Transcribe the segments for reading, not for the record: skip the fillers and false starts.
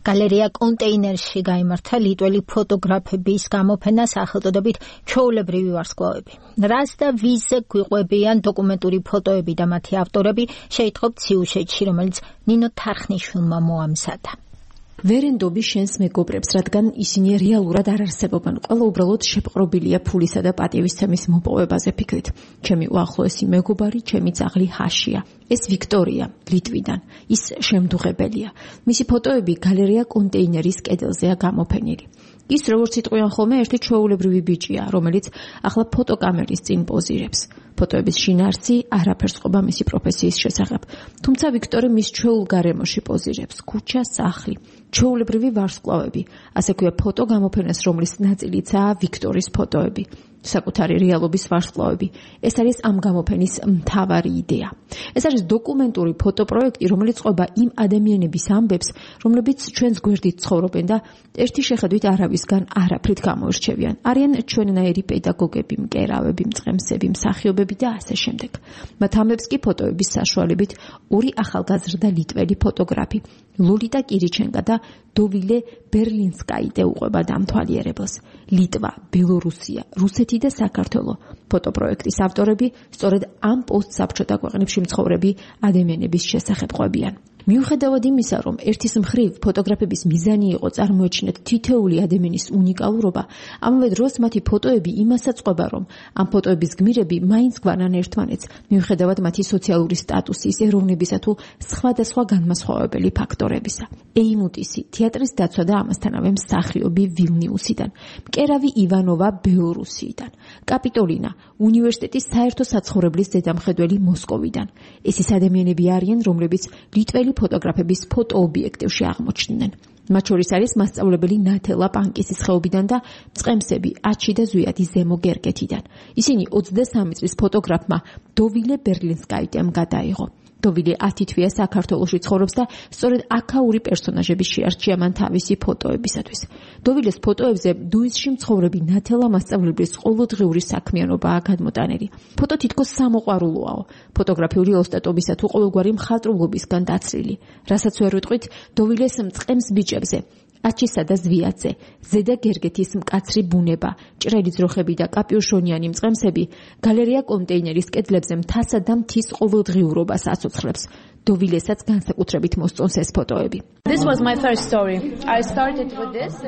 გალერეა კონტეინერში გაიმართა ლიტველი ფოტოგრაფების გამოფენა სახელწოდებით ჩვეულებრივი ვარსკვლავები. რას და ვის გვიყვებიან დოკუმენტური ფოტოები და მათი ავტორები, შეიტყობთ სიუჟეტში, რომელიც ნინო თარხნიშვილმა მოამზადა. ვერენდობი შენს მეგობრებს, რადგან ისინი რეალურად არ არსებობენ. ყველა უბრალოდ შეპყრობილია ფულისა და პატივისცემის მოპოვებაზე ფიქრით. ჩემი უახლოესი მეგობარი, ჩემი ძაღლი ჰაშია. ეს ვიქტორია, ლიტვიდან. ის შემდუღებელია. მისი ფოტოები გალერეა კონტეინერის კედელზეა გამოფენილი. ის როგორც იტყვიან ხოლმე, ერთი ჩვეულებრივი ბიჭია, რომელიც ახლა ფოტოკამერის წინ პოზირებს. ფოტოების შინაარსი არაფერს ყოფა მისი პროფესიის შესახებ. თუმცა ვიქტორი მის ჩვეულ გარემოში პოზირებს. ქუჩა, სახლი, ჩვეულებრივი ვარსკვლავები. ასე ქვია ფოტო გამოფენას, რომლის ნაწილიცაა ვიქტორის ფოტოები. საკუთარი რეალობის ვარსკვლავები. ეს არის ამ გამოფენის მთავარი იდეა. ეს არის დოკუმენტური ფოტოპროექტი, რომელიც ყვება იმ ადამიანების ამბებს, რომლებიც ჩვენს გვერდით ცხოვრობენ და ერთი შეხედვით არავისგან არაფრით გამოირჩევიან. არიან ჩვენნაირი პედაგოგები, მკერავები, მწყემსები, მსახიობები და ასე შემდეგ. მათ ამბებს კი ფოტოების საშუალებით ორი ახალგაზრდა ლიტველი ფოტოგრაფი, ლოლიტა კირიჩენკა და დოვილე ბერლინსკაიტე უყვება დამთვალიერებელს. ლიტვა, ბელორუსია, რუსეთი და საქართველო. ფოტოპროექტის ავტორები სწორედ ამ პოსტსაბჭოთა ქვეყნებში მცხოვრები ადამიანების შესახებ ყვებიან. მიუხედავად იმისა, რომ ერთის მხრივ ფოტოგრაფების მიზანი იყო წარმოეჩინათ თითოეული ადამიანის უნიკალურობა, ამავე დროს მათი ფოტოები იმასაც ყვება, რომ ამ ფოტოების გმირები მაინც გვანან ერთმანეთს, მიუხედავად მათი სოციალური სტატუსის, ეროვნებისა თუ სხვადასხვა განმასხვავებელი ფაქტორებისა. ეიმუტისი, თეატრის დაცვა და ამასთანავე მსახიობი ვილნიუსიდან, მკერავი ივანოვა ბელორუსიიდან, კაპიტოლინა, უნივერსიტეტის საერთო საცხოვრებლის ზედამხედველი მოსკოვიდან. ეს ის ადამიანები არიან, რომლებიც ლიტველი ფოტოგრაფების ფოტოობიექტივში აღმოჩნდნენ. მათ შორის არის მასწავლებელი ნათელა პანკისის ხეობიდან და მწყემსები აჩი და ზვიადი ზემო გერგეთიდან. ისინი 23 წლის ფოტოგრაფმა დოვილე ბერლინსკაიტემ გადაიღო. დოვილე 10 თვეა საქართველოში ცხოვრობს და სწორედ აქაური პერსონაჟები შეარჩია მან თავისი ფოტოებისათვის. დოვილეს ფოტოებზე დუისში მცხოვრები ნათელა მასწავლებლის ყოველდღიური საქმიანობაა გადმოტანილი. ფოტო თითქოს სამოყვარულოაო, ფოტოგრაფიული ოსტატობისა თუ ყოველგვარი მხატვრობისგან დაცრილი. რასაც ვერ ვიტყვით დოვილეს მწყემს ბიჭებზე, აჩისა და ზვიაძე, ზედა გერგეთის მკაცრი ბუნება, ჭრელი ძროხები და კაპიუშონიანი მწყემსები გალერეა კონტეინერის კედლებზე მთასა და მთის ყოველდღიურობას აცოცხლებს. დოვილესაც განსაკუთრებით მოსწონს ეს ფოტოები.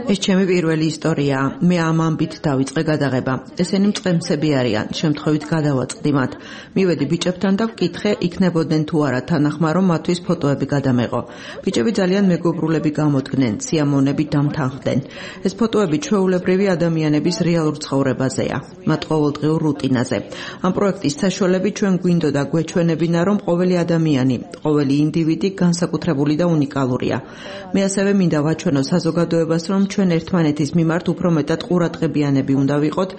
ეს ჩემი პირველი ისტორიაა. მე ამ ამბით დავიწყე გადაღება. ესენი მწყემსები არიან, შემთხვევით გადავაწყდი მათ. მივედი ბიჭებთან და ვკითხე, იქნებოდნენ თუ არა თანახმა, რომ მათთვის ფოტოები გადამეღო. ბიჭები ძალიან მეგობრულები გამოდგნენ, სიამონები დამთანხმდნენ. ეს ფოტოები ჩვეულებრივი ადამიანების რეალურ ცხოვრებაზეა, მათ ყოველდღიურ რუტინაზე. ამ პროექტის საშუალებით ჩვენ გვინდოდა გვეჩვენებინა, რომ ყოველი ადამიანი, ყოველი ინდივიდი განსაკუთრებული და უნიკალურია. მე ასევე მინდა ვაჩვენო საზოგადოებას, რომ ჩვენ ერთმანეთის მიმართ უფრო მეტად ყურადღებიანები უნდა ვიყოთ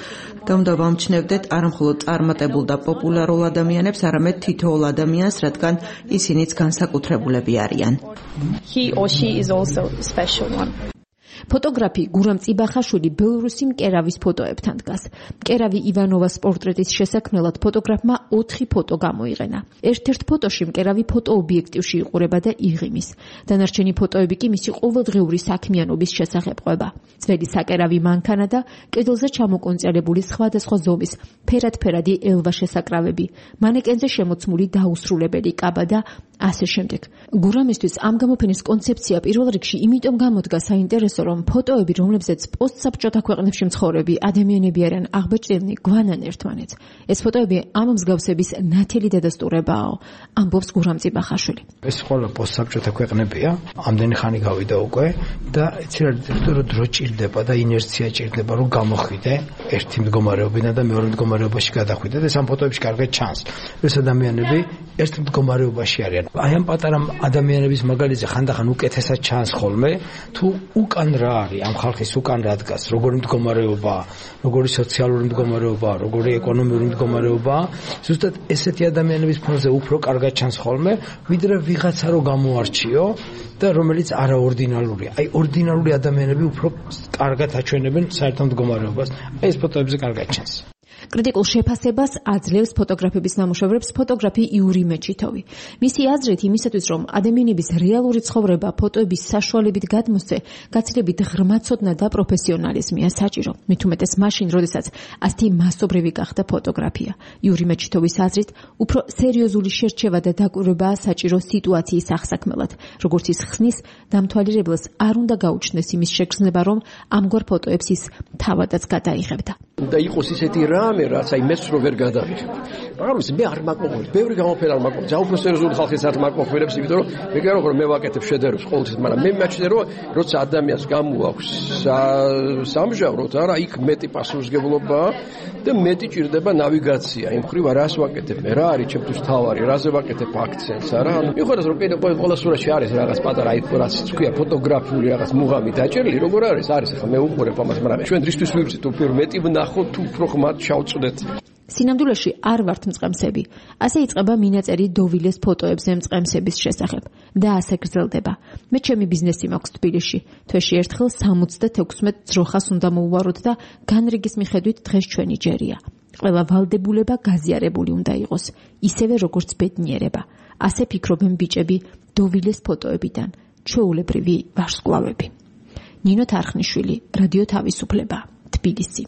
და უნდა ვამჩნევდეთ არამხოლოდ წარმატებულ და პოპულარულ ადამიანებს, არამედ თითოეულ ადამიანს, რადგან ისინიც განსაკუთრებულები არიან. He or she is also a special one. ფოტოგრაფი გურამ წიბახაშვილი ბელორუსი მკერავის ფოტოებთან დგას. მკერავი ივანოვას პორტრეტის შესაქმნელად ფოტოგრაფმა 4 ფოტო გამოიყენა. ერთ-ერთ ფოტოში მკერავი ფოტოობიექტივში იყურება და იღიმის. დანარჩენი ფოტოები კი მისი ყოველდღიური საქმიანობის შესახებ ყვება. ძველი საკერავი მანქანა და კედელზე ჩამოკონწელებული სხვადასხვა ზომის ფერადფერადი ელვა შესაკრავები, მანეკენზე შემოცმული დაუსრულებელი კაბა და ასე შემდეგ. გურამისთვის ამ გამოფენის კონცეფცია პირველ რიგში იმიტომ გამოდგა საინტერესო, რომ ფოტოები, რომლებზეც პოსტსაბჭოთა ქვეყნებში მცხოვრები ადამიანები არიან აღბეჭდილნი, გვანან ერთმანეთს. ეს ფოტოები ამ მსგავსების ნათელი დადასტურებაო, ამბობს გურამ წიბახაშვილი. ეს ყველა პოსტსაბჭოთა ქვეყნებია, ამდენი ხანი გავიდა უკვე და იცი რა დრო ჭირდება და ინერცია ჭირდება, რომ გამოხვიდე ერთი მდგომარეობიდან და მეორე მდგომარეობაში გადახვიდე და ეს ამ ფოტოებში კარგად ჩანს. ეს ადამიანები ერთ მდგომარეობაში არიან. აი ამ პატარა ადამიანების მაგალითზე ხანდახან უკეთესად ჩანს ხოლმე, თუ უკან რა არის ამ ხალხის უკან რა დგას, როგორი მდგომარეობაა, როგორი სოციალური მდგომარეობაა, როგორი ეკონომიური მდგომარეობაა, ზუსტად ესეთი ადამიანების ფონზე უფრო კარგად ჩანს ხოლმე, ვიდრე ვიღაცა რო გამოარჩიო და რომელიც არაორდინალურია. აი ორდინალური ადამიანები უფრო კარგად აჩვენებენ საერთო მდგომარეობას. აი ეს ფოტოებზე კარგად ჩანს. კრიტიკულ შეფასებას აძლევს ფოტოგრაფების ნამუშევრებს ფოტოგრაფი იური მეჩითოვი. მისი აზრით, იმისათვის რომ ადამიანების რეალური ცხოვრება ფოტოების საშუალებით გადმოსცე, გაცილებით ღრმა ცოდნა და პროფესიონალიზმია საჭირო. მით უმეტეს მაშინ, როდესაც ასეთი მასობრივი გახდა ფოტოგრაფია. იური მეჩითოვის აზრით, უფრო სერიოზული შერჩევა და დაკვირვებაა საჭირო სიტუაციის აღსაქმელად. როგორც ის ხსნის, დამთვალიერებელს არ უნდა გაუჩნდეს იმის შეგრძნება, რომ ამგვარ ფოტოებს ის თავადაც გადაიღებდა. და იყოს ისეთი რამე, რაც აი მეც რო ვერ გადავიღებ. მაგრამ მე არ მაკმოყოლებს, ბევრი გამოფენა არ მაკმოყოლებს. ძალიან უფრო სერიოზული ხალხის არ მაკმოყოლებს, იმიტომ რომ მე გერო რომ მე ვაკეთებ შედევრებს ყოველთვის, მაგრამ მე მეჩნია რომ როცა ადამიანს გამოაქვს სამჟავროთ, არა, იქ მეტი პასუხისმგებლობა და მეტი ჭირდება ნავიგაცია. იმ ხრივ რას ვაკეთებ მე, რა არის ჩემთვის თავარი, რაზე ვაკეთებ აქცენტს, არა? მიუხედავად რომ ყველა სურათში არის რაღაც პატარა აი რაც თქვია ფოტოგრაფიული რაღაც მუღამი დაჭერილი, როგორ არის ახლა მე უყურებ ამას, მაგრამ ჩვენ რისთვის ვიბრძით უფრო მეტი ვნახოთ თუ უფრო ხმად ჩავწვდეთ. სინამდვილეში არ ვართ მწყემსები. ასე იწყება მინაწერი დოვილეს ფოტოებზე მწყემსების შესახებ და ასე გრძელდება. მე ჩემი ბიზნესი მაქვს თბილისში. თვეში ერთხელ 76 ძროხას უნდა მოვუაროთ და განრიგის მიხედვით დღეს ჩვენი ჯერია. ყველა ვალდებულება გაზიარებული უნდა იყოს, ისევე როგორც ბედნიერება. ასე ფიქრობენ ბიჭები დოვილეს ფოტოებიდან, ჩვეულებრივი ვარსკვლავები. ნინო თარხნიშვილი, რადიო თავისუფლება, თბილისი.